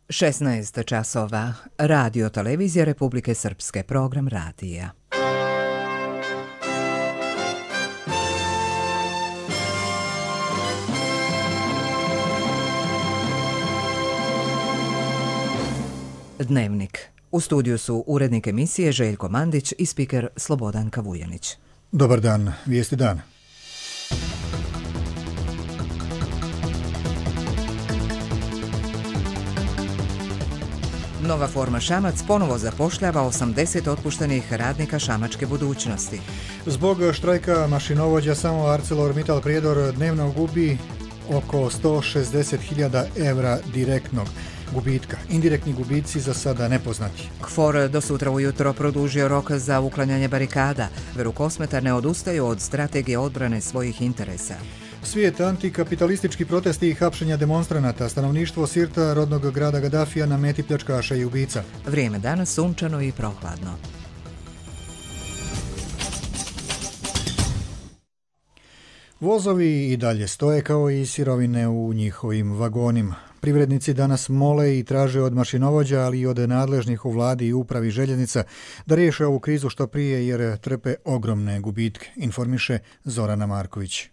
16 časova. Radio Televizija Republike Srpske. Program radija. Dnevnik. U studiju su urednik emisije Željko Mandić i spiker Slobodanka Vujanić. Dobar dan, vijesti dana. Nova forma Šamac ponovo zapošljava 80 otpuštenih radnika šamačke budućnosti. Zbog štrajka mašinovođa samo ArcelorMittal Prijedor dnevno gubi oko 160.000 evra direktnog gubitka. Indirektni gubici za sada nepoznati. KFOR do sutra ujutro produžio rok za uklanjanje barikada. Verukosmetar ne odustaju od strategije odbrane svojih interesa. Svijet, antikapitalistički protesti i hapšenja demonstranata, stanovništvo Sirta, rodnog grada Gadafija, na meti pljačkaša i ubica. Vrijeme danas sunčano i prohladno. Vozovi i dalje stoje kao i sirovine u njihovim vagonima. Privrednici danas mole i traže od mašinovođa, ali i od nadležnih u vladi i upravi željeznica da riješe ovu krizu što prije jer trpe ogromne gubitke, informiše Zorana Marković.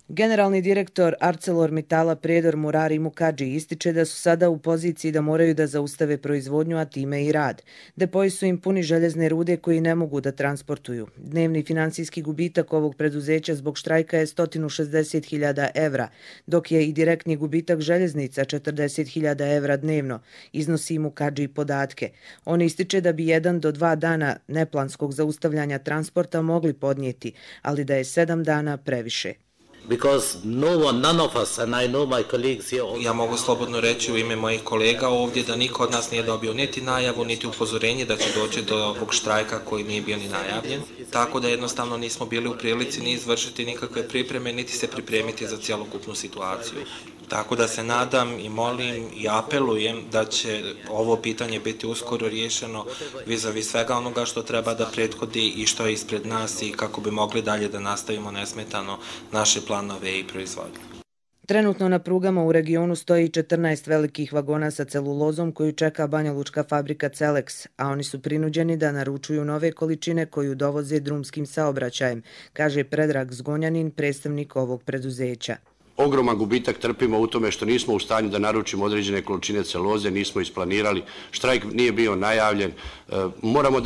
Generalni direktor ArcelorMittala Prijedor Murari Mukadži ističe da su sada u poziciji da moraju da zaustave proizvodnju, a time i rad. Depoji su im puni željezne rude koji ne mogu da transportuju. Dnevni financijski gubitak ovog preduzeća zbog štrajka je 160.000 evra, dok je i direktni gubitak željeznica 40.000 evra dnevno, iznosi Mukadži podatke. On ističe da bi 1 do 2 dana neplanskog zaustavljanja transporta mogli podnijeti, ali da je 7 dana previše. Ja mogu slobodno reći u ime mojih kolega ovdje da niko od nas nije dobio niti najavu, niti upozorenje da će doći do ovog štrajka koji nije bio ni najavljen. Tako da jednostavno nismo bili u prilici ni izvršiti nikakve pripreme, niti se pripremiti za cjelokupnu situaciju. Tako da se nadam i molim i apelujem da će ovo pitanje biti uskoro riješeno vis-a-vis svega onoga što treba da prethodi i što je ispred nas i kako bi mogli dalje da nastavimo nesmetano naše planove i proizvodnje. Trenutno na prugama u regionu stoji 14 velikih vagona sa celulozom koju čeka banjalučka fabrika Celex, a oni su prinuđeni da naručuju nove količine koju dovoze drumskim saobraćajem, kaže Predrag Zgonjanin, predstavnik ovog preduzeća. Ogroman gubitak trpimo u tome što nismo u stanju da naručimo određene količine celuloze, nismo isplanirali, štrajk nije bio najavljen, moramo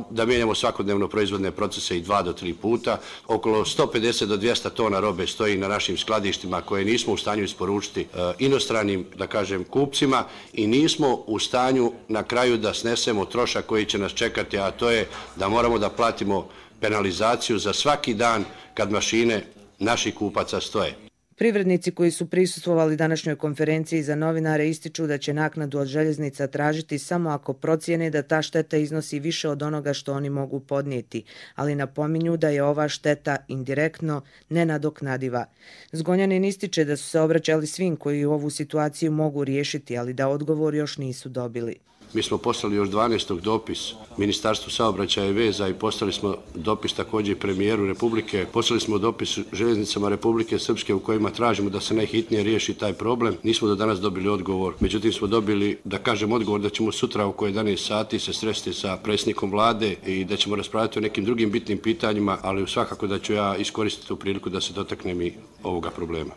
da mijenjamo svakodnevno proizvodne procese i 2 do 3 puta. Okolo 150 do 200 tona robe stoji na našim skladištima koje nismo u stanju isporučiti inostranim, da kažem, kupcima i nismo u stanju na kraju da snesemo trošak koji će nas čekati, a to je da moramo da platimo penalizaciju za svaki dan kad mašine naših kupaca stoje. Privrednici koji su prisustvovali današnjoj konferenciji za novinare ističu da će naknadu od željeznica tražiti samo ako procijene da ta šteta iznosi više od onoga što oni mogu podnijeti, ali napominju da je ova šteta indirektno nenadoknadiva. Zgonjanin ističe da su se obraćali svim koji ovu situaciju mogu riješiti, ali da odgovor još nisu dobili. Mi smo poslali još 12. dopis Ministarstvu saobraćaja i veza i poslali smo dopis također premijeru Republike. Poslali smo dopis željeznicama Republike Srpske u kojima tražimo da se najhitnije riješi taj problem. Nismo do danas dobili odgovor. Međutim, smo dobili, da kažem, odgovor da ćemo sutra oko 11 sati se sresti sa predsjednikom vlade i da ćemo raspravljati o nekim drugim bitnim pitanjima, ali svakako da ću ja iskoristiti tu priliku da se dotaknem i ovoga problema.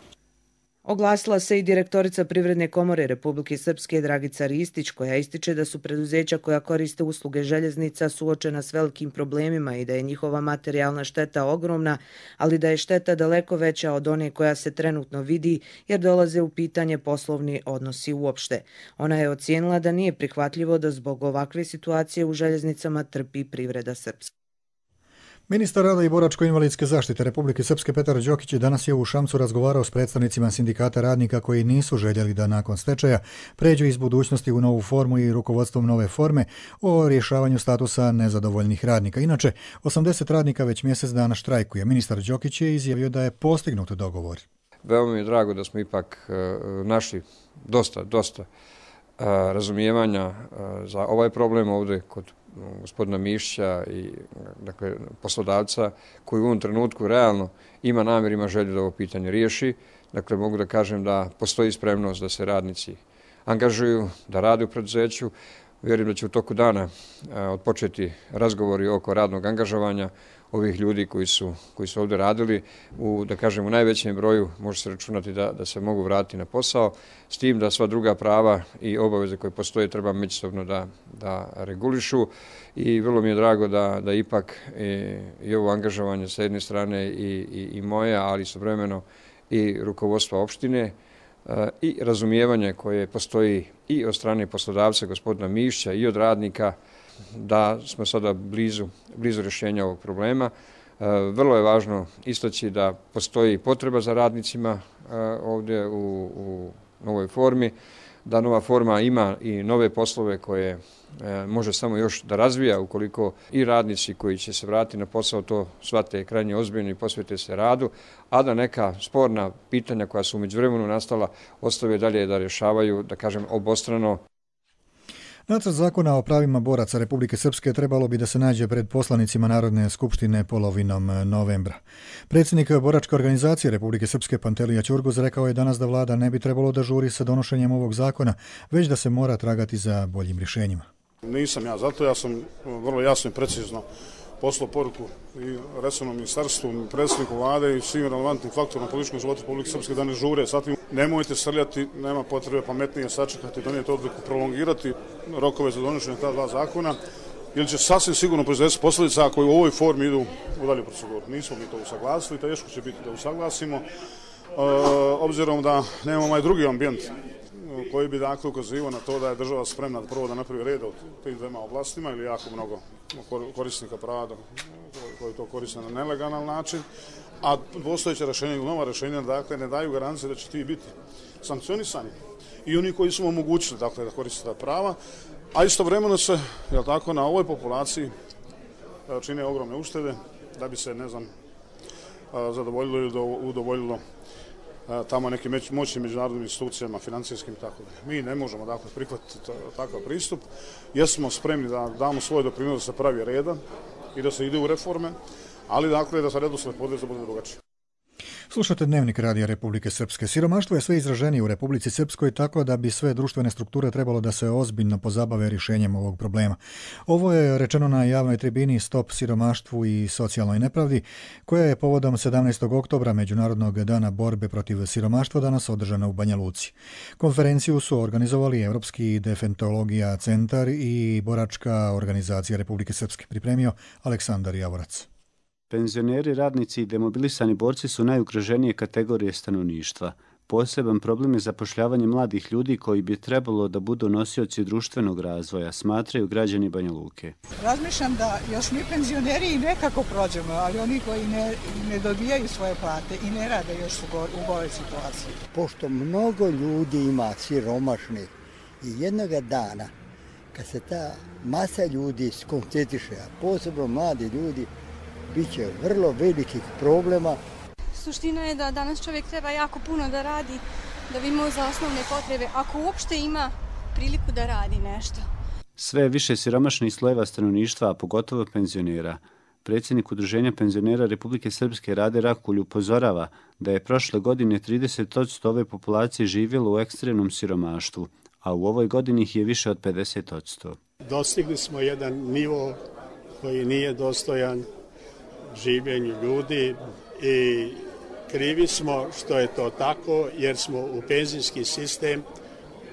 Oglasila se i direktorica Privredne komore Republike Srpske Dragica Ristić, koja ističe da su preduzeća koja koriste usluge željeznica suočena s velikim problemima i da je njihova materijalna šteta ogromna, ali da je šteta daleko veća od one koja se trenutno vidi jer dolaze u pitanje poslovni odnosi uopšte. Ona je ocijenila da nije prihvatljivo da zbog ovakve situacije u željeznicama trpi privreda Srpska. Ministar rada i boračko-invalidske zaštite Republike Srpske Petar Đokić danas je u Šamcu razgovarao s predstavnicima sindikata radnika koji nisu željeli da nakon stečaja pređu iz budućnosti u novu formu i rukovodstvom nove forme o rješavanju statusa nezadovoljnih radnika. Inače, 80 radnika već mjesec dana štrajkuje. Ministar Đokić je izjavio da je postignut dogovor. Veoma mi je drago da smo ipak našli dosta razumijevanja za ovaj problem ovdje kod gospodina Mišića i dakle, poslodavca koji u ovom trenutku realno ima namjer, ima želju da ovo pitanje riješi. Dakle, mogu da kažem da postoji spremnost da se radnici angažuju, da rade u preduzeću. Vjerujem da će u toku dana odpočeti razgovori oko radnog angažovanja ovih ljudi koji su ovdje radili. U najvećem broju može se računati da se mogu vratiti na posao, s tim da sva druga prava i obaveze koje postoje treba međusobno da regulišu. I vrlo mi je drago da ipak i ovo angažovanje sa jedne strane i moje, ali istovremeno i rukovodstva opštine i razumijevanje koje postoji i od strane poslodavca gospodina Mišća i od radnika, da smo sada blizu rješenja ovog problema. Vrlo je važno istaći da postoji potreba za radnicima ovdje u novoj formi, da nova forma ima i nove poslove koje može samo još da razvija ukoliko i radnici koji će se vratiti na posao to shvate krajnje ozbiljno i posvete se radu, a da neka sporna pitanja koja su u međuvremenu nastala ostave dalje da rješavaju, da kažem, obostrano. Nacrt zakona o pravima boraca Republike Srpske trebalo bi da se nađe pred poslanicima Narodne skupštine polovinom novembra. Predsjednik boračke organizacije Republike Srpske Pantelija Ćurguz rekao je danas da vlada ne bi trebalo da žuri sa donošenjem ovog zakona, već da se mora tragati za boljim rješenjima. Nisam ja, zato ja sam vrlo jasno i precizno poslao poruku i resornom ministarstvu, predsjedniku vlade i svim relevantnim faktorima političkom životu Republike Srpske da ne žure. Zatim, nemojte srljati, nema potrebe pametnije sačekati, donijeti odluku, prolongirati rokove za donošenje ta dva zakona, ili će sasvim sigurno proizvesti posljedica ako u ovoj formi idu u dalju proceduru. Nismo mi to usaglasili, teško će biti da usaglasimo, obzirom da nemamo ovaj drugi ambijent koji bi dakle ukazivao na to da je država spremna prvo da napravi red u tim dvema oblastima ili jako mnogo korisnika prava koji to koriste na nelegalan način, a postojeće rješenja ili nova rješenja dakle ne daju garancije da će ti biti sankcionisani i oni koji su omogućili dakle da koriste ta prava, a istovremeno se na ovoj populaciji čine ogromne uštede da bi se zadovoljilo ili udovoljilo tamo nekim moćnim međunarodnim institucijama, financijskim i tako da. Mi ne možemo dakle prihvatiti takav pristup. Jesmo spremni da damo svoj doprinos da se pravi reda i da se ide u reforme, ali dakle da se redosled podijela bude drugačiji. Slušate Dnevnik Radija Republike Srpske. Siromaštvo je sve izraženije u Republici Srpskoj, tako da bi sve društvene strukture trebalo da se ozbiljno pozabave rješenjem ovog problema. Ovo je rečeno na javnoj tribini Stop siromaštvu i socijalnoj nepravdi, koja je povodom 17. oktobra Međunarodnog dana borbe protiv siromaštva danas održana u Banja Luci. Konferenciju su organizovali Evropski defektologija centar i boračka organizacija Republike Srpske. Pripremio Aleksandar Javorac. Penzioneri, radnici i demobilisani borci su najugroženije kategorije stanovništva. Poseban problem je zapošljavanje mladih ljudi koji bi trebalo da budu nosioci društvenog razvoja, smatraju građani Banja Luke. Razmišljam da još mi penzioneri i nekako prođemo, ali oni koji ne dobijaju svoje plate i ne rade još u ovoj situaciji. Pošto mnogo ljudi ima siromašnih i jednoga dana, kad se ta masa ljudi skoncentriše, a posebno mladi ljudi, bit će vrlo velikih problema. Suština je da danas čovjek treba jako puno da radi, da bi imao za osnovne potrebe, ako uopšte ima priliku da radi nešto. Sve više siromašnih slojeva stanovništva, a pogotovo penzionera. Predsjednik Udruženja penzionera Republike Srpske Rade Rakulj upozorava da je prošle godine 30% ove populacije živjelo u ekstremnom siromaštvu, a u ovoj godini ih je više od 50%. Dostigli smo jedan nivo koji nije dostojan življenju ljudi i krivi smo što je to tako jer smo u penzijski sistem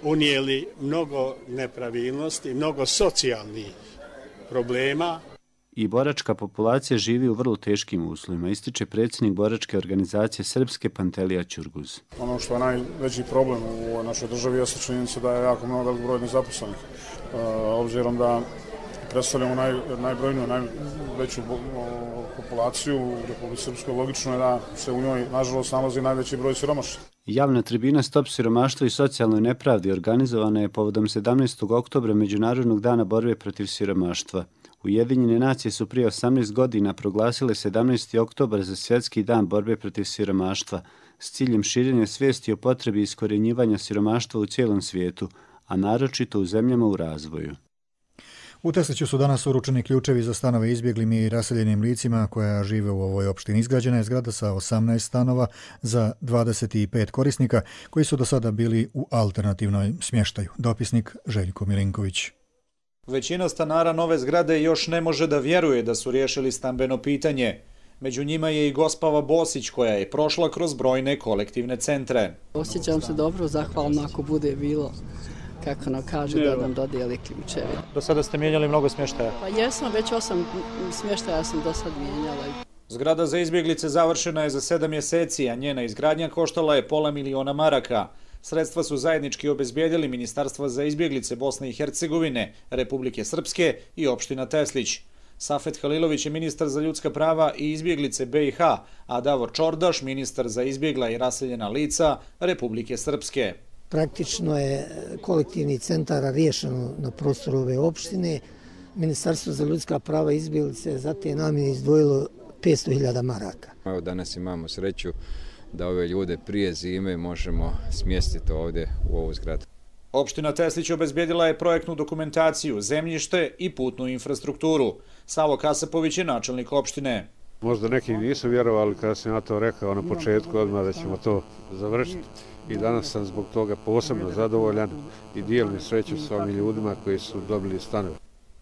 unijeli mnogo nepravilnosti, mnogo socijalnih problema. I boračka populacija živi u vrlo teškim uslovima, ističe predsjednik boračke organizacije Srpske Pantelija Ćurguz. Ono što je najveći problem u našoj državi je činjenica da je jako mnogo velik broj nezaposlenih. Obzirom da predstavljamo najbrojniju, najveću populaciju u Republici Srpskoj, logično je da se u njoj, nažalost, nalazi najveći broj siromašnih. Javna tribina Stop siromaštvu i socijalnoj nepravdi organizovana je povodom 17. oktobra Međunarodnog dana borbe protiv siromaštva. Ujedinjene nacije su prije 18 godina proglasile 17. oktobar za svjetski dan borbe protiv siromaštva s ciljem širenja svijesti o potrebi iskorjenjivanja siromaštva u cijelom svijetu, a naročito u zemljama u razvoju. U Tesliću su danas uručeni ključevi za stanove izbjeglim i raseljenim licima koja žive u ovoj opštini. Izgrađena je zgrada sa 18 stanova za 25 korisnika koji su do sada bili u alternativnoj smještaju. Dopisnik Željko Milinković. Većina stanara nove zgrade još ne može da vjeruje da su riješili stambeno pitanje. Među njima je i Gospava Bosić koja je prošla kroz brojne kolektivne centre. Osjećam se dobro, zahvalno ako bude bilo kako nam kaže da nam dodijeli ključevi. Do sada ste mijenjali mnogo smještaja? Pa jesam, već 8 smještaja sam do sad mijenjala. Zgrada za izbjeglice završena je za 7 mjeseci, a njena izgradnja koštala je $500.000 maraka. Sredstva su zajednički obezbijedili Ministarstva za izbjeglice Bosne i Hercegovine, Republike Srpske i opština Teslić. Safet Halilović je ministar za ljudska prava i izbjeglice BiH, a Davor Čordaš ministar za izbjegla i raseljena lica Republike Srpske. Praktično je kolektivni centar riješeno na prostoru ove opštine. Ministarstvo za ljudska prava i izbjeglice za te namjene izdvojilo 500.000 maraka. Evo danas imamo sreću da ove ljude prije zime možemo smjestiti ovdje u ovu zgradu. Opština Teslić obezbijedila je projektnu dokumentaciju, zemljište i putnu infrastrukturu. Savo Kasapović je načelnik opštine. Možda neki nisu vjerovali kada sam ja to rekao na početku odmah da ćemo to završiti. I danas sam zbog toga posebno zadovoljan i dijelim sreću s ovim ljudima koji su dobili stanove.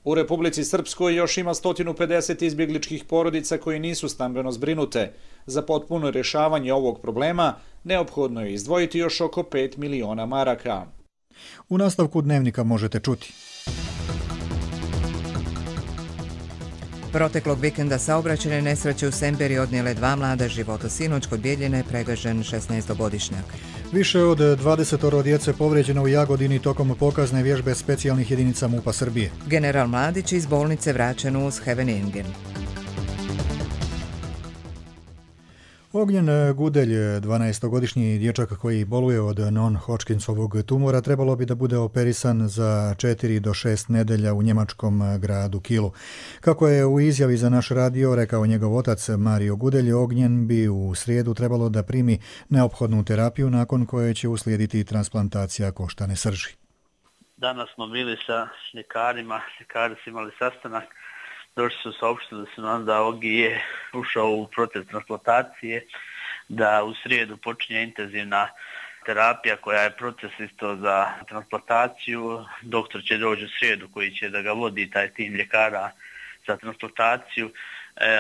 U Republici Srpskoj još ima 150 izbjegličkih porodica koji nisu stambeno zbrinute. Za potpuno rješavanje ovog problema neophodno je izdvojiti još oko 5 miliona maraka. U nastavku dnevnika možete čuti. Proteklog vikenda saobraćajne nesreće u Semberi odnijele 2 mlada života. Sinoć kod Bjeljine je pregažen 16-godišnjak. Više od 20 djece povrijeđeno u Jagodini tokom pokazne vježbe specijalnih jedinica MUP-a Srbije. General Mladić iz bolnice vraćen uz Heveningen. Ognjen Gudelj, 12-godišnji dječak koji boluje od non-Hodgkinsovog tumora, trebalo bi da bude operisan za 4 do 6 nedelja u njemačkom gradu Kielu. Kako je u izjavi za naš radio rekao njegov otac Mario Gudelj, Ognjen bi u srijedu trebalo da primi neophodnu terapiju nakon koje će uslijediti transplantacija koštane srži. Danas smo bili sa ljekarima, ljekari su imali sastanak. Došli su saopštili da se nam da Ogi je ušao u proces transplantacije, da u srijedu počinje intenzivna terapija koja je proces isto za transplantaciju. Doktor će doći u srijedu koji će da ga vodi taj tim ljekara za transplantaciju,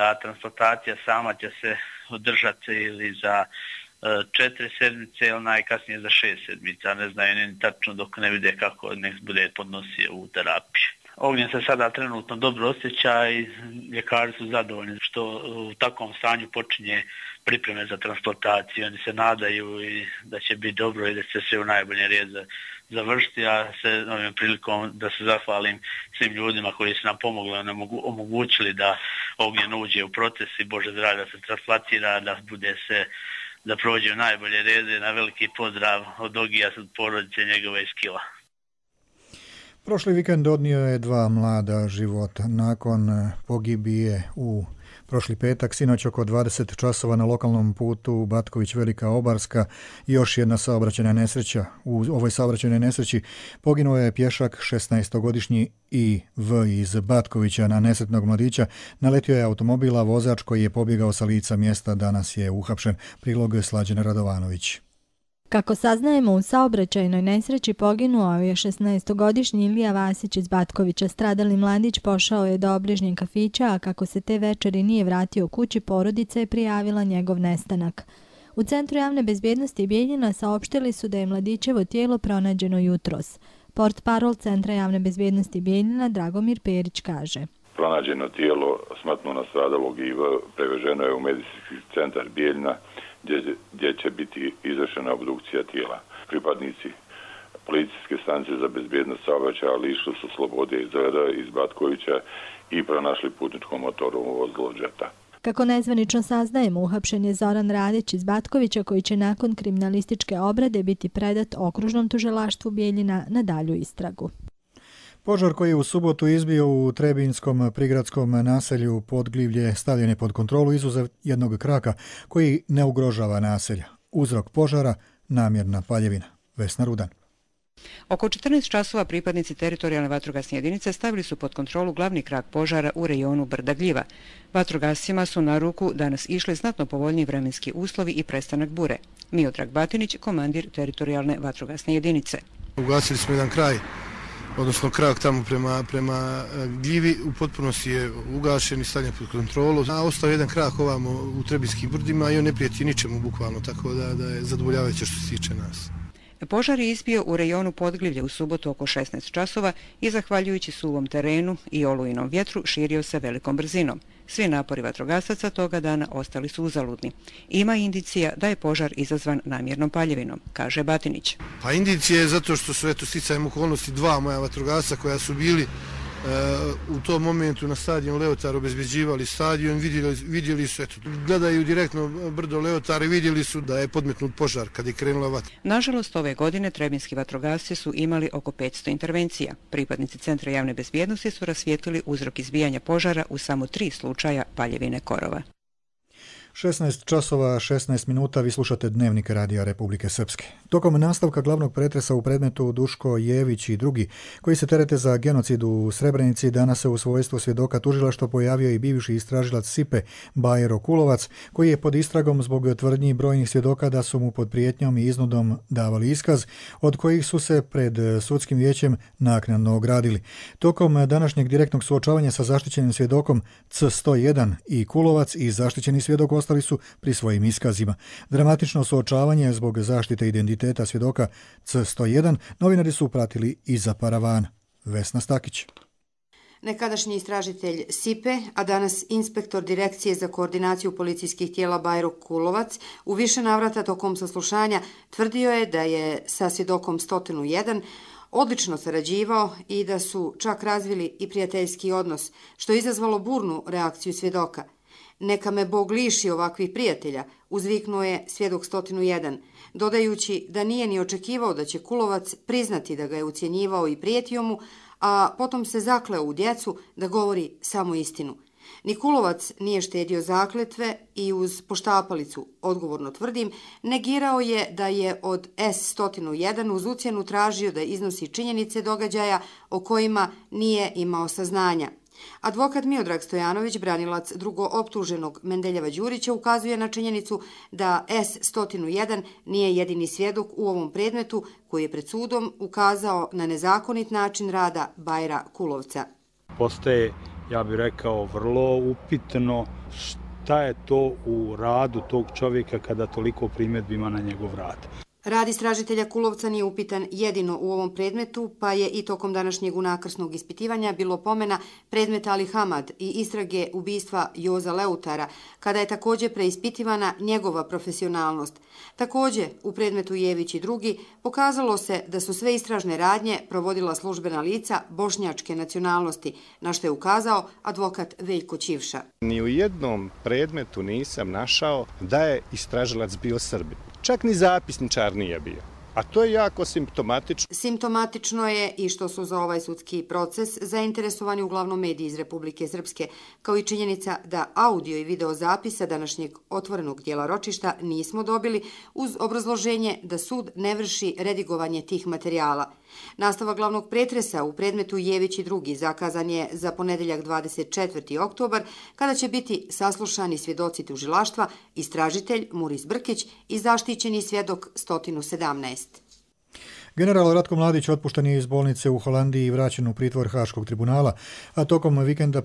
a transplantacija sama će se održati ili za 4 sedmice ili najkasnije za 6 sedmica. Ne znaju ni tačno dok ne vide kako nek bude podnosio u terapiju. Ognjen se sada trenutno dobro osjeća i ljekari su zadovoljni što u takvom stanju počinje pripreme za transplantaciju. Oni se nadaju i da će biti dobro i da će se u najbolje red završiti, a se ovim prilikom da se zahvalim svim ljudima koji su nam pomogli, omogućili da Ognjen uđe u proces i Bože zdravlja da se transplantira, da bude se da prođe u najbolje rede. Na veliki pozdrav od Ogija, od porodice njegove iz Kila. Prošli vikend odnio je 2 mlada života. Nakon pogibije u prošli petak, sinoć oko 20 časova na lokalnom putu Batković-Velika Obarska i još jedna saobraćajna nesreća. U ovoj saobraćajnoj nesreći poginuo je pješak 16-godišnji I.V. iz Batkovića na nesretnog mladića. Naletio je automobila, vozač koji je pobjegao sa lica mjesta danas je uhapšen. Prilog Slađana Radovanović. Kako saznajemo, u saobraćajnoj nesreći poginuo je 16-godišnji Ilija Vasić iz Batkovića. Stradali mladić pošao je do obližnjeg kafića, a kako se te večeri nije vratio kući, porodica je prijavila njegov nestanak. U Centru javne bezbjednosti Bijeljina saopštili su da je mladićevo tijelo pronađeno jutros. Portparol Centra javne bezbjednosti Bijeljina Dragomir Perić kaže: Pronađeno tijelo smrtno nastradalog I.V. preveženo je u medicinski centar Bijeljina gdje će biti izvršena obdukcija tijela. Pripadnici policijske stanice za bezbjednost saobraćaja lišili su slobode iz reda iz Batkovića i pronašli putničko motorno vozilo džeta. Kako nezvanično saznajemo, uhapšen je Zoran Radić iz Batkovića koji će nakon kriminalističke obrade biti predat okružnom tužilaštvu Bijeljina na dalju istragu. Požar koji je u subotu izbio u Trebinskom prigradskom naselju Podglivlje stavljen je pod kontrolu izuzev jednog kraka koji ne ugrožava naselja. Uzrok požara namjerna paljevina. Vesna Rudan. Oko 14 časova pripadnici teritorijalne vatrogasne jedinice stavili su pod kontrolu glavni krak požara u rejonu Brda Gljiva. Vatrogascima su na ruku danas išli znatno povoljniji vremenski uslovi i prestanak bure. Miodrag Batinić, komandir teritorijalne vatrogasne jedinice. Ugasili smo jedan kraj, odnosno krak tamo prema Gljivi, u potpunosti je ugašen i stavljen pod kontrolu. A ostao jedan krak ovamo u Trebinjskim brdima i on ne prijeti ničemu bukvalno, tako da je zadovoljavajuće što se tiče nas. Požar je izbio u rejonu Podglivlje u subotu oko 16 časova i zahvaljujući suvom terenu i olujinom vjetru širio se velikom brzinom. Svi napori vatrogasaca toga dana ostali su uzaludni. Ima indicija da je požar izazvan namjernom paljevinom, kaže Batinić. Pa indicija je zato što su sticajem okolnosti dva moja vatrogasca koja su bili u tom momentu na stadion Leotar obezbeđivali stadion, vidjeli su, gledaju direktno brdo Leotar i vidjeli su da je podmetnut požar kad je krenula vatra. Nažalost, ove godine trebinjski vatrogasci su imali oko 500 intervencija. Pripadnici Centra javne bezbjednosti su rasvijetlili uzrok izbijanja požara u samo 3 slučaja paljevine korova. 16 časova 16 minuta, vi slušate Dnevnik Radija Republike Srpske. Tokom nastavka glavnog pretresa u predmetu Duško Jević i drugi, koji se terete za genocid u Srebrenici, danas se u svojstvu svjedoka tužilaštva pojavio i bivši istražilac SIPE Bajro Kulovac, koji je pod istragom zbog tvrdnji brojnih svjedoka da su mu pod prijetnjom i iznudom davali iskaz, od kojih su se pred sudskim vijećem naknadno ogradili. Tokom današnjeg direktnog suočavanja sa zaštićenim svjedokom C101 i Kulovac i zaštićeni svjedok ostali su pri svojim iskazima. Dramatično suočavanje zbog zaštite identiteta svjedoka C101 novinari su pratili iza paravana. Vesna Stakić. Nekadašnji istražitelj SIPE, a danas inspektor Direkcije za koordinaciju policijskih tijela Bajro Kulovac, u više navrata tokom saslušanja tvrdio je da je sa svjedokom 101 odlično sarađivao i da su čak razvili i prijateljski odnos, što je izazvalo burnu reakciju svjedoka. Neka me Bog liši ovakvih prijatelja, uzviknuo je svjedok 101, dodajući da nije ni očekivao da će Kulovac priznati da ga je ucjenjivao i prijetio mu, a potom se zakleo u djecu da govori samo istinu. Ni Kulovac nije štedio zakletve i uz poštapalicu, odgovorno tvrdim, negirao je da je od S101 uz ucjenu tražio da iznosi činjenice događaja o kojima nije imao saznanja. Advokat Miodrag Stojanović, branilac drugooptuženog Mendeljeva Đurića, ukazuje na činjenicu da S101 nije jedini svjedok u ovom predmetu koji je pred sudom ukazao na nezakonit način rada Bajra Kulovca. Postaje, ja bih rekao, vrlo upitno šta je to u radu tog čovjeka kada toliko primjedbi ima na njegov rad. Rad istražitelja Kulovca nije upitan jedino u ovom predmetu, pa je i tokom današnjeg unakrsnog ispitivanja bilo pomena predmeta Ali Hamad i istrage ubistva Joza Leutara, kada je također preispitivana njegova profesionalnost. Također, u predmetu Jević i drugi pokazalo se da su sve istražne radnje provodila službena lica bošnjačke nacionalnosti, na što je ukazao advokat Veljko Ćivša. Ni u jednom predmetu nisam našao da je istražilac bio Srbin. Čak ni zapisničar nije bio. A to je jako simptomatično. Simptomatično je i što su za ovaj sudski proces zainteresovani uglavnom mediji iz Republike Srpske, kao i činjenica da audio i video zapisa današnjeg otvorenog dijela ročišta nismo dobili uz obrazloženje da sud ne vrši redigovanje tih materijala. Nastava glavnog pretresa u predmetu Jević i drugi zakazan je za ponedeljak 24. oktobar, kada će biti saslušani svjedoci tužilaštva, istražitelj Muris Brkić i zaštićeni svjedok 117. General Ratko Mladić otpušten je iz bolnice u Holandiji i vraćen u pritvor Haškog tribunala, a tokom vikenda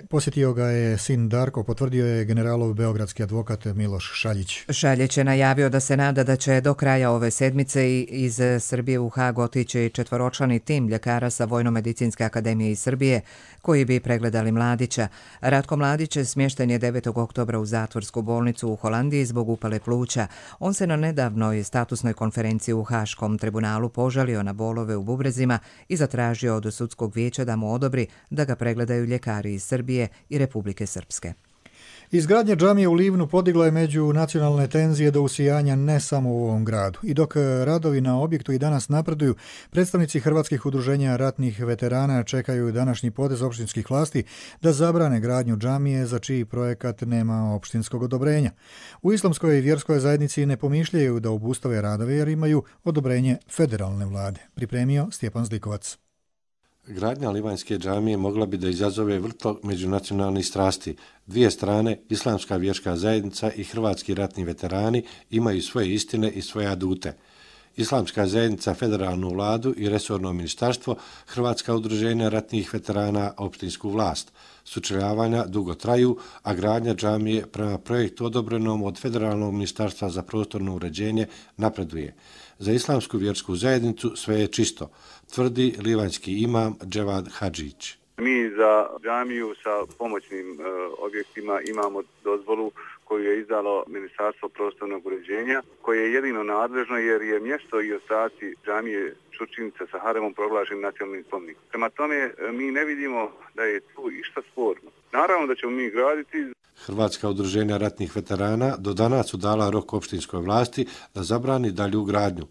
posjetio ga je sin Darko, potvrdio je generalov beogradski advokat Miloš Šaljić. Šaljić je najavio da se nada da će do kraja ove sedmice iz Srbije u Hag otići četvoročlani tim ljekara sa Vojno-medicinske akademije iz Srbije koji bi pregledali Mladića. Ratko Mladić smješten je 9. oktobra u zatvorsku bolnicu u Holandiji zbog upale pluća. On se na nedavnoj statusnoj konferenciji u Haškom tribunalu požalio na bolove u bubrezima i zatražio od sudskog vijeća da mu odobri da ga pregledaju ljekari iz Srbije i Republike Srpske. Izgradnja džamije u Livnu podigla je međunacionalne tenzije do usijanja ne samo u ovom gradu. I dok radovi na objektu i danas napreduju, predstavnici hrvatskih udruženja ratnih veterana čekaju današnji potez opštinskih vlasti da zabrane gradnju džamije za čiji projekat nema opštinskog odobrenja. U islamskoj i vjerskoj zajednici ne pomišljaju da obustave radove jer imaju odobrenje federalne vlade. Pripremio Stjepan Zlikovac. Gradnja livanjske džamije mogla bi da izazove vrtlog međunacionalnih strasti. Dvije strane, islamska vjerska zajednica i hrvatski ratni veterani, imaju svoje istine i svoje adute. Islamska zajednica, federalnu vladu i resorno ministarstvo, Hrvatska udruženja ratnih veterana, opštinsku vlast. Sučeljavanja dugo traju, a gradnja džamije prema projektu odobrenom od Federalnog ministarstva za prostorno uređenje napreduje. Za islamsku vjersku zajednicu sve je čisto, tvrdi livanjski imam Dževad Hadžić. Mi za džamiju sa pomoćnim objektima imamo dozvolu koju je izdalo Ministarstvo prostornog uređenja, koje je jedino nadležno jer je mjesto i ostaci džamije Čurčinice sa haremom proglašen nacionalnim spomenikom. Prema tome mi ne vidimo da je tu išta sporno. Naravno da ćemo mi graditi. Hrvatska udruženja ratnih veterana do danas su dala rok opštinskoj vlasti da zabrani dalju gradnju.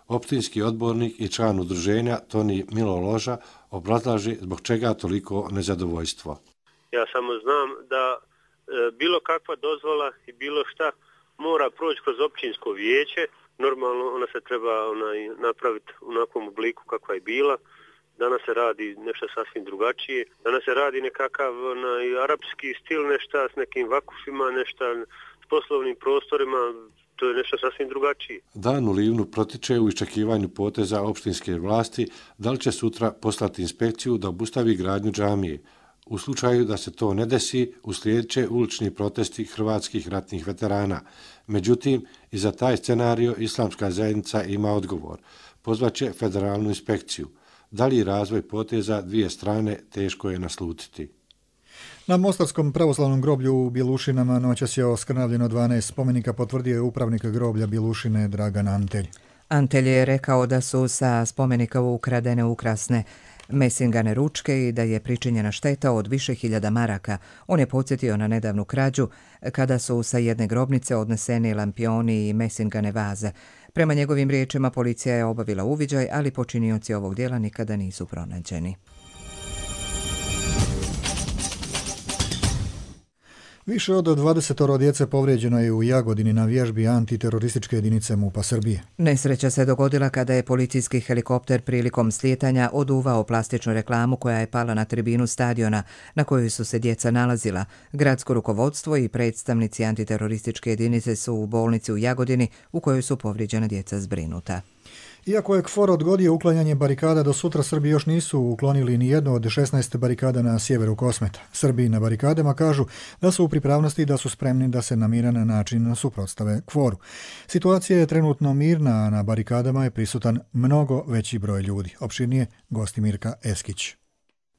Opštinski odbornik i član udruženja Toni Milo Loža obrazlaže zbog čega toliko nezadovoljstvo. Ja samo znam da bilo kakva dozvola i bilo šta mora proći kroz općinsko vijeće. Normalno ona se treba napraviti u onakvom obliku kakva je bila. Danas se radi nešto sasvim drugačije. Danas se radi nekakav arapski stil, nešto s nekim vakufima, nešto s poslovnim prostorima. To je nešto sasvim drugačije. Dan u Livnu protiče u iščekivanju poteza opštinske vlasti da li će sutra poslati inspekciju da obustavi gradnju džamije. U slučaju da se to ne desi, uslijedit će ulični protesti hrvatskih ratnih veterana. Međutim, i za taj scenario islamska zajednica ima odgovor. Pozvaće federalnu inspekciju. Dalji razvoj poteza dvije strane teško je naslutiti. Na Mostarskom pravoslavnom groblju u Bjelušinama noćas je oskrnavljeno 12 spomenika, potvrdio je upravnik groblja Bjelušine Dragan Antelj. Antelj je rekao da su sa spomenika ukradene ukrasne mesingane ručke i da je pričinjena šteta od više hiljada maraka. On je podsjetio na nedavnu krađu kada su sa jedne grobnice odneseni lampioni i mesingane vaze. Prema njegovim riječima policija je obavila uviđaj, ali počinioci ovog djela nikada nisu pronađeni. Više od 20 djece povrijeđeno je u Jagodini na vježbi antiterorističke jedinice MUP-a Srbije. Nesreća se dogodila kada je policijski helikopter prilikom slijetanja oduvao plastičnu reklamu koja je pala na tribinu stadiona na kojoj su se djeca nalazila. Gradsko rukovodstvo i predstavnici antiterorističke jedinice su u bolnici u Jagodini u kojoj su povrijeđena djeca zbrinuta. Iako je KFOR odgodio uklanjanje barikada, do sutra Srbi još nisu uklonili ni jednu od 16 barikada na sjeveru Kosmeta. Srbi na barikadama kažu da su u pripravnosti i da su spremni da se na miran način suprotstave KFOR-u. Situacija je trenutno mirna, a na barikadama je prisutan mnogo veći broj ljudi. Opširnije Gostimirka Eskić.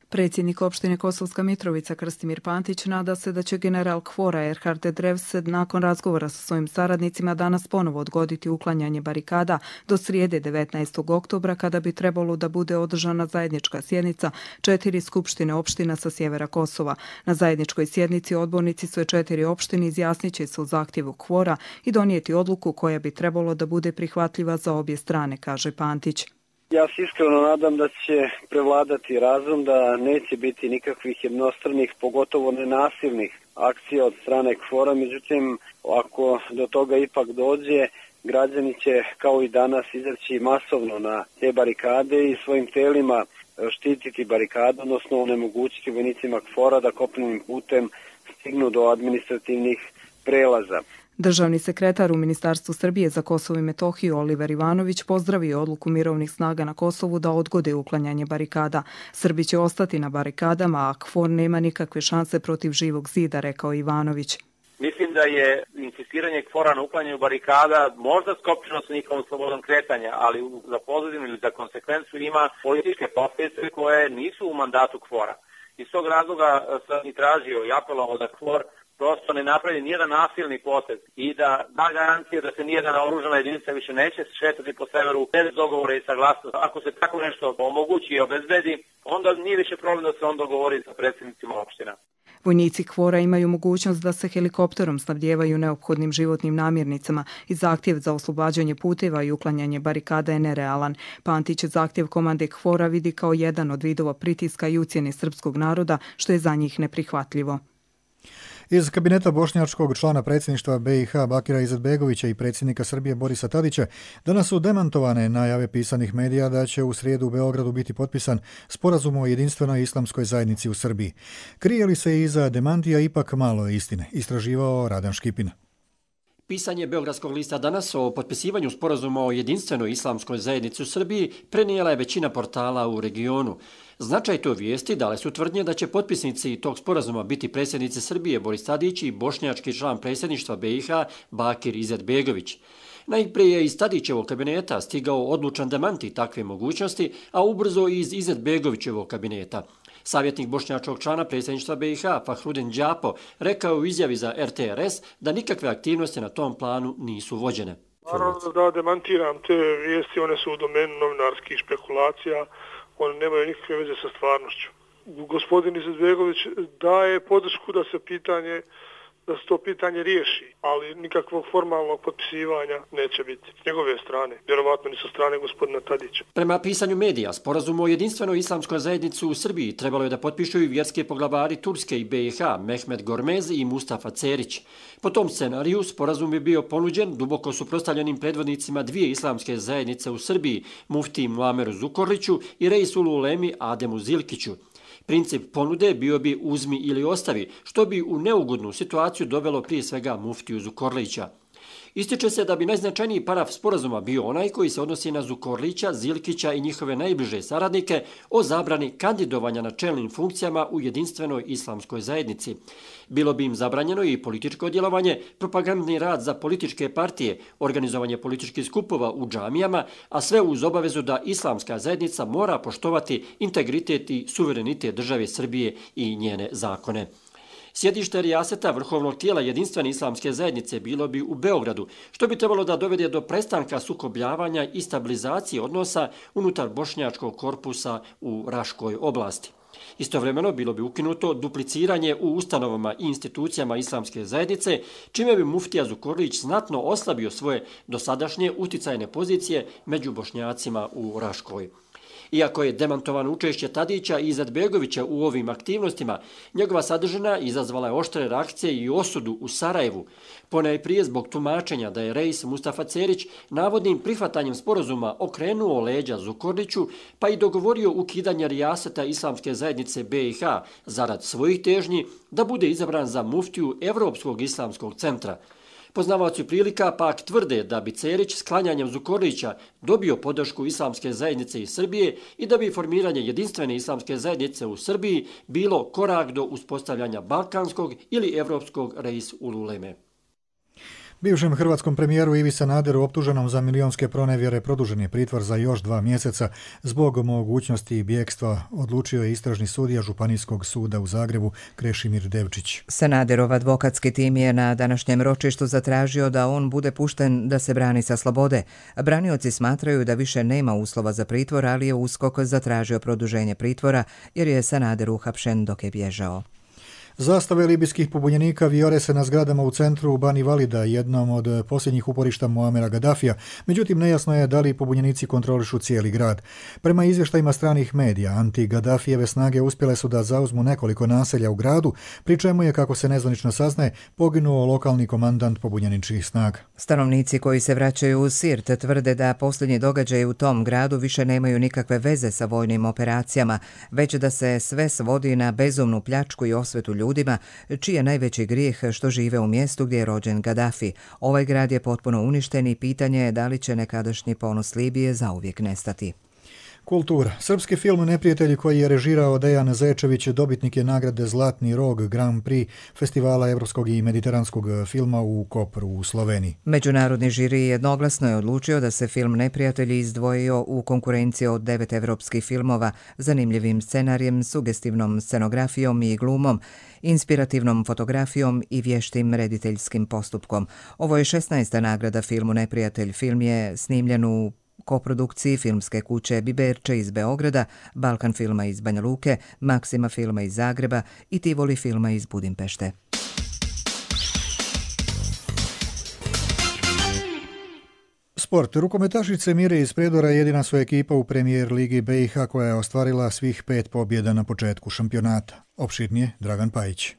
Predsjednik opštine Kosovska Mitrovica Krstimir Pantić nada se da će general KFOR-a Erhard Drevsed nakon razgovora sa svojim saradnicima danas ponovo odgoditi uklanjanje barikada do srijede 19. oktobra kada bi trebalo da bude održana zajednička sjednica 4 skupštine opština sa sjevera Kosova. Na zajedničkoj sjednici odbornici sve 4 opštine izjasnit će se u zahtjevu KFOR-a i donijeti odluku koja bi trebalo da bude prihvatljiva za obje strane, kaže Pantić. Ja se iskreno nadam da će prevladati razum, da neće biti nikakvih jednostranih, pogotovo nenasilnih akcija od strane KFOR-a. Međutim, ako do toga ipak dođe, građani će kao i danas izaći masovno na te barikade i svojim telima štititi barikadu, odnosno onemogućiti vojnicima KFOR-a da kopnenim putem stignu do administrativnih prelaza. Državni sekretar u Ministarstvu Srbije za Kosovo i Metohiju Oliver Ivanović pozdravio odluku mirovnih snaga na Kosovu da odgode uklanjanje barikada. Srbi će ostati na barikadama, a KFOR nema nikakve šanse protiv živog zida, rekao Ivanović. Mislim da je insistiranje KFOR-a na uklanjanju barikada možda skopčeno sa njihovom slobodom kretanja, ali za pozadinu ili za konsekvencu ima političke posljedice koje nisu u mandatu KFOR-a. Iz tog razloga sam i tražio i apelovao da KFOR prosto ne napravi nijedan nasilni potez i da garancije da se nijedna naoružana jedinica više neće šetati po severu bez dogovora i saglasnosti. Ako se tako nešto omogući i obezbedi, onda nije više problem da se on dogovori sa predsjednicima opština. Vojnici KFOR-a imaju mogućnost da se helikopterom snabdijevaju neophodnim životnim namirnicama i zahtjev za oslobađanje puteva i uklanjanje barikada je nerealan. Pantić zahtjev komande KFOR-a vidi kao jedan od vidova pritiska i ucjene srpskog naroda, što je za njih neprihvatljivo. Iz kabineta bošnjačkog člana predsjedništva BiH Bakira Izetbegovića i predsjednika Srbije Borisa Tadića danas su demantovane najave pisanih medija da će u srijedu u Beogradu biti potpisan sporazum o jedinstvenoj islamskoj zajednici u Srbiji. Krije li se iza demantija ipak malo istine, istraživao Radan Škipin. Pisanje Beogradskog lista danas o potpisivanju sporazuma o jedinstvenoj islamskoj zajednici u Srbiji prenijela je većina portala u regionu. Značaj to vijesti dale su tvrdnje da će potpisnici tog sporazuma biti predsjednici Srbije Boris Tadić i bošnjački član predsjedništva BiH Bakir Izetbegović. Najprije je iz Tadićevog kabineta stigao odlučan demanti takve mogućnosti, a ubrzo i iz Izetbegovićevog kabineta. Savjetnik bošnjačkog člana predsjedništva BiH Fahrudin Đapo rekao u izjavi za RTRS da nikakve aktivnosti na tom planu nisu vođene. Naravno da demantiram te vijesti, one su u domenu novinarskih špekulacija, one nemaju nikakve veze sa stvarnošću. Gospodin Izetbegović daje podršku da se to pitanje riješi, ali nikakvog formalnog potpisivanja neće biti s njegove strane, vjerovatno ni sa strane gospodina Tadića. Prema pisanju medija, sporazum o jedinstvenoj islamskoj zajednici u Srbiji trebalo je da potpišu i vjerske poglavari Turske i BiH, Mehmet Gormez i Mustafa Cerić. Po tom scenariju, sporazum bi bio ponuđen duboko suprotstavljenim predvodnicima dvije islamske zajednice u Srbiji, muftiji Muameru Zukorliću i reisulu ulemi Ademu Zilkiću. Princip ponude bio bi uzmi ili ostavi, što bi u neugodnu situaciju dovelo prije svega muftiju Zukorlića. Ističe se da bi najznačajniji paraf sporazuma bio onaj koji se odnosi na Zukorlića, Zilkića i njihove najbliže saradnike o zabrani kandidovanja na čelnim funkcijama u jedinstvenoj islamskoj zajednici. Bilo bi im zabranjeno i političko djelovanje, propagandni rad za političke partije, organizovanje političkih skupova u džamijama, a sve uz obavezu da islamska zajednica mora poštovati integritet i suverenitet države Srbije i njene zakone. Sjedište rijaseta vrhovnog tijela jedinstvene islamske zajednice bilo bi u Beogradu, što bi trebalo da dovede do prestanka sukobljavanja i stabilizacije odnosa unutar bošnjačkog korpusa u Raškoj oblasti. Istovremeno bilo bi ukinuto dupliciranje u ustanovama i institucijama islamske zajednice, čime bi muftija Zukorlić znatno oslabio svoje dosadašnje uticajne pozicije među bošnjacima u Raškoj. Iako je demantovano učešće Tadića i Izetbegovića u ovim aktivnostima, njegova sadržina izazvala je oštre reakcije i osudu u Sarajevu, ponajprije zbog tumačenja da je reis Mustafa Cerić navodnim prihvatanjem sporazuma okrenuo leđa Zukorliću, pa i dogovorio ukidanje rijaseta islamske zajednice BiH zarad svojih težnji da bude izabran za muftiju Evropskog islamskog centra. Poznavaoci prilika pak tvrde da bi Cerić sklanjanjem Zukorlića dobio podršku islamske zajednice iz Srbije i da bi formiranje jedinstvene islamske zajednice u Srbiji bilo korak do uspostavljanja balkanskog ili evropskog reis ululeme. Bivšem hrvatskom premijeru Ivi Sanaderu optuženom za milionske pronevjere produžen je pritvor za još 2 mjeseca zbog mogućnosti bjegstva, odlučio je istražni sudija Županijskog suda u Zagrebu Krešimir Devčić. Sanaderov advokatski tim je na današnjem ročištu zatražio da on bude pušten da se brani sa slobode. Branioci smatraju da više nema uslova za pritvor, ali je USKOK zatražio produženje pritvora jer je Sanader uhapšen dok je bježao. Zastave libijskih pobunjenika vijore se na zgradama u centru Bani Valida, jednom od posljednjih uporišta Muamera Gaddafija, međutim nejasno je da li pobunjenici kontrolišu cijeli grad. Prema izvještajima stranih medija, anti-Gaddafijeve snage uspjele su da zauzmu nekoliko naselja u gradu, pri čemu je, kako se nezvanično saznaje, poginuo lokalni komandant pobunjeničkih snaga. Stanovnici koji se vraćaju u Sirt tvrde da posljednji događaji u tom gradu više nemaju nikakve veze sa vojnim operacijama, već da se sve svodi na bezumnu pljačku i osvetu ljudima, čiji je najveći grijeh što žive u mjestu gdje je rođen Gaddafi. Ovaj grad je potpuno uništen i pitanje je da li će nekadašnji ponos Libije zauvijek nestati. Kultura. Srpski film Neprijatelji koji je režirao Dejan Zečević dobitnik je nagrade Zlatni rog Grand Prix Festivala evropskog i mediteranskog filma u Kopru u Sloveniji. Međunarodni žiri jednoglasno je odlučio da se film Neprijatelji izdvojio u konkurenciji od 9 evropskih filmova, zanimljivim scenarijem, sugestivnom scenografijom i glumom, inspirativnom fotografijom i vještim rediteljskim postupkom. Ovo je 16. nagrada filmu Neprijatelj. Film je snimljen u koprodukciji filmske kuće Biberče iz Beograda, Balkan filma iz Banja Luke, Maksima filma iz Zagreba i Tivoli filma iz Budimpešte. Sport. Rukometašice Mire iz Prijedora je jedina su ekipa u premijer ligi BiH koja je ostvarila svih 5 pobjeda na početku šampionata. Opširnije Dragan Pajić.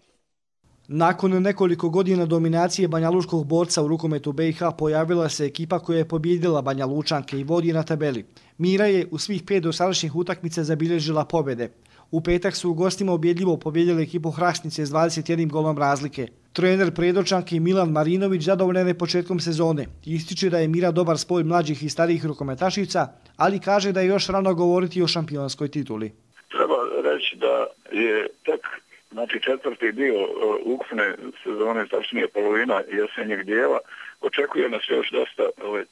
Nakon nekoliko godina dominacije banjaluškog borca u rukometu BiH pojavila se ekipa koja je pobjedila Banja Lučanke i vodi na tabeli. Mira je u svih 5 dosadašnjih utakmica zabilježila pobjede. U petak su u gostima ubjedljivo pobjedili ekipu Hrastnice s 21 golom razlike. Trener Predočanke Milan Marinović zadovoljan je početkom sezone. Ističe da je Mira dobar spoj mlađih i starijih rukometašica, ali kaže da je još rano govoriti o šampionskoj tituli. Treba reći da je tek četvrti dio ukupne sezone, tačnije polovina jesenjeg dijela, očekuje nas još dosta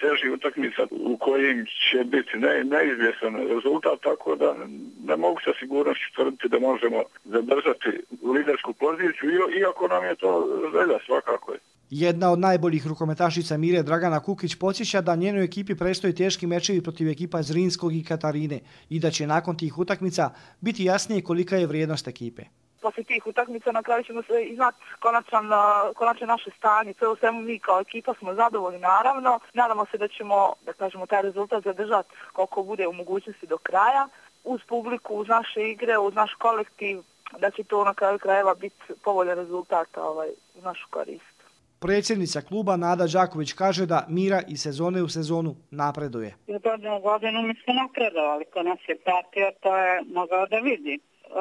težih utakmica u kojim će biti neizvjesan rezultat, tako da ne mogu sa sigurnošću tvrditi da možemo zadržati lidersku poziciju, iako nam je to želja svakako. Jedna od najboljih rukometašica Mire, Dragana Kukić, podsjeća da njenoj ekipi predstoje teški mečevi protiv ekipa Zrinskog i Katarine i da će nakon tih utakmica biti jasnije kolika je vrijednost ekipe. Posle tih utakmica na kraju ćemo se znati konačno naše stanje. Sve u svemu mi kao ekipa smo zadovoljni naravno. Nadamo se da ćemo, taj rezultat zadržati koliko bude u mogućnosti do kraja. Uz publiku, uz naše igre, uz naš kolektiv, da će to na kraju krajeva biti povoljan rezultat u našu korist. Predsjednica kluba Nada Đaković kaže da Mira iz sezone u sezonu napreduje. Iz godine u godinu mi smo napredovali. Ko nas je pratio, to je mogao da vidi.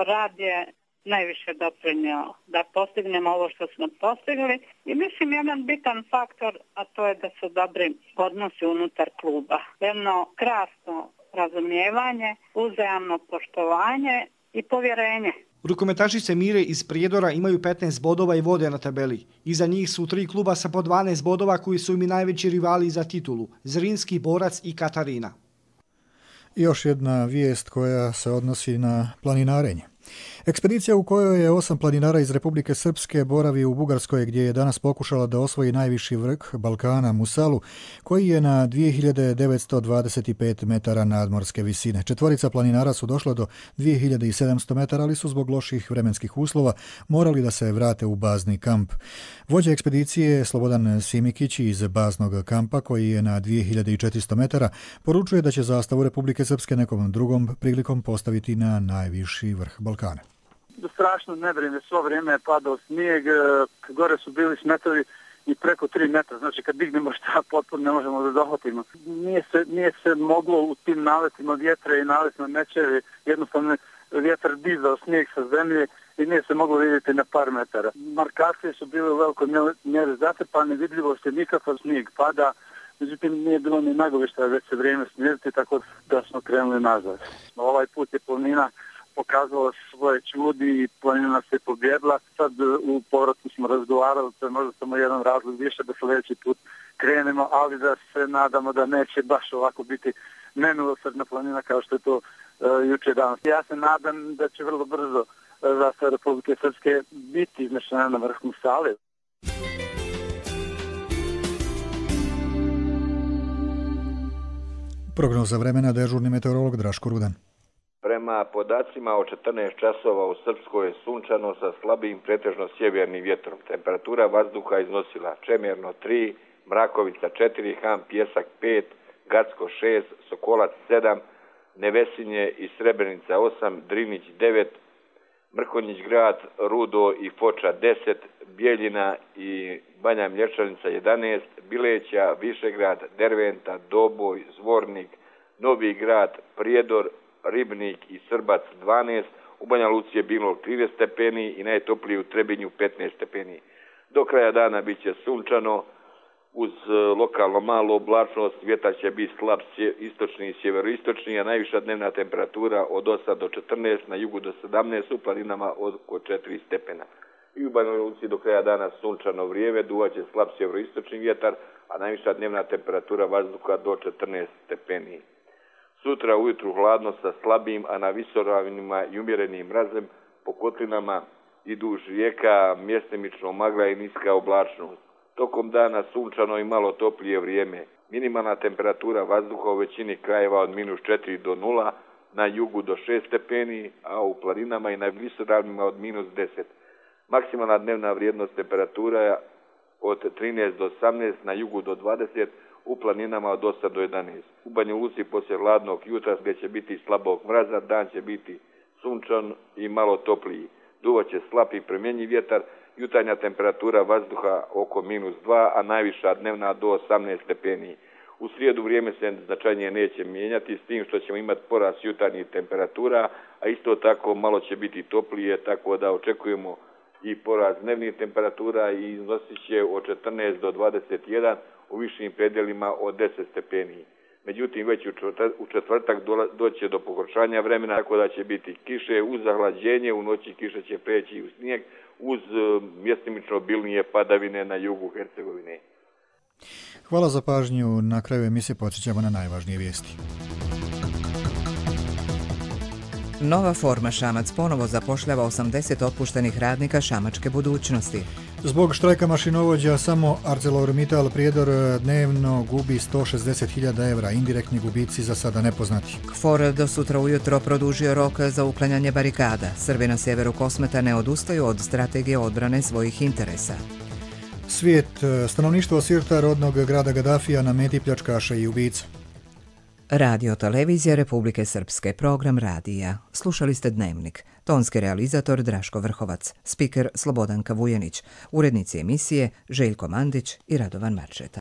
Rad je najviše doprinio da postignemo ovo što smo postigli i mislim jedan bitan faktor, a to je da su dobri odnosi unutar kluba. Jedno krasno razumijevanje, uzajamno poštovanje i povjerenje. Rukometašice Mire iz Prijedora imaju 15 bodova i vode na tabeli. Iza njih su 3 kluba sa po 12 bodova koji su im i najveći rivali za titulu, Zrinski, Borac i Katarina. Još jedna vijest koja se odnosi na planinarenje. Ekspedicija u kojoj je 8 planinara iz Republike Srpske boravi u Bugarskoj gdje je danas pokušala da osvoji najviši vrh Balkana Musalu, koji je na 2925 metara nadmorske visine. 4 planinara su došla do 2700 metara, ali su zbog loših vremenskih uslova morali da se vrate u bazni kamp. Vođa ekspedicije je Slobodan Simikić iz baznog kampa, koji je na 2400 metara, poručuje da će zastavu Republike Srpske nekom drugom prilikom postaviti na najviši vrh Balkana. Strašno nevrijeme, svo vrijeme je padao snijeg, gore su bili smetovi i preko 3 metra, znači kad dignemo šta potpuno ne možemo da dohvatimo. Nije se moglo u tim naletima vjetra i naletima mečevi, jednostavno vjetar dizao snijeg sa zemlje i nije se moglo vidjeti na par metara. Markacije su bile u velikoj mjeri zatrpane, vidljivo se nikakav snijeg pada, međutim nije bilo ni nagovišta već se vrijeme smiriti, tako da smo krenuli nazad. Ovaj put je planina pokazala svoje čudi i planina se pobjedila. Sad u povratku smo razgovarali, to je možda samo jedan razlog više da sljedeći put krenemo, ali da se nadamo da neće baš ovako biti nemilosrdna planina kao što je to juče danas. Ja se nadam da će vrlo brzo zastava Republike Srpske biti iznešena na vrh Musale. Prognoza vremena, dežurni meteorolog Draško Rudan. Prema podacima o 14 časova u Srpskoj je sunčano sa slabim pretežno sjevernim vjetrom. Temperatura vazduha iznosila Čemerno 3, Mrakovica 4, Han Pjesak 5, Gacko 6, Sokolac 7, Nevesinje i Srebrenica 8, Drinić 9, Mrkonjić grad, Rudo i Foča 10, Bijeljina i Banja Mlječanica 11, Bileća, Višegrad, Derventa, Doboj, Zvornik, Novi grad, Prijedor, Ribnik i Srbac 12, u Banja Luci je bilo 30 stepeni i najtoplije u Trebinju 15 stepeni. Do kraja dana bit će sunčano, uz lokalno malu oblačnost, vjetar će biti slab istočni i sjeveroistočni, a najviša dnevna temperatura od 8 do 14, na jugu do 17, u planinama oko 4 stepena. I u Banja Luci do kraja dana sunčano vrijeme, duvaće slab sjeveroistočni vjetar, a najviša dnevna temperatura vazduha do 14 stepeni. Sutra ujutru hladno sa slabim, a na visoravinima i umjerenim mrazem, po kotlinama i duž rijeka mjestimično magla i niska oblačnost. Tokom dana sunčano i malo toplije vrijeme. Minimalna temperatura vazduha u većini krajeva od -4 do 0, na jugu do 6 stepeni, a u planinama i na visoravnima od -10. Maksimalna dnevna vrijednost temperatura od 13 do 18, na jugu do 20, u planinama od 8 do 11. U Banja Luci poslije hladnog jutra gdje će biti slabog mraza, dan će biti sunčan i malo topliji. Duvaće slab i promjenjiv vjetar, jutarnja temperatura vazduha oko -2, a najviša dnevna do 18 stepeni. U srijedu vrijeme se značajnije neće mijenjati, s tim što ćemo imati porast jutarnjih temperatura, a isto tako malo će biti toplije, tako da očekujemo i porast dnevnih temperatura i iznosit će od 14 do 21, u višim predjelima od 10 stepeni. Međutim, već u četvrtak doće do pogoršanja vremena, tako da će biti kiše uz zahlađenje, u noći kiša će preći u snijeg, uz mjestimično obilnije padavine na jugu Hercegovine. Hvala za pažnju. Na kraju emisije podsjećamo na najvažnije vijesti. Nova forma Šamac ponovo zapošljava 80 otpuštenih radnika šamačke budućnosti. Zbog štrajka mašinovođa samo ArcelorMittal Prijedor dnevno gubi 160.000 evra, indirektni gubici za sada nepoznati. KFOR do sutra ujutro produžio rok za uklanjanje barikada. Srbi na sjeveru Kosmeta ne odustaju od strategije odbrane svojih interesa. Svijet, stanovništvo Sirta, rodnog grada Gadafija, na meti pljačkaša i ubica. Radio Televizija Republike Srpske, program radija. Slušali ste Dnevnik. Tonski realizator Draško Vrhovac, spiker Slobodanka Vujanić, urednici emisije Željko Mandić i Radovan Marčeta.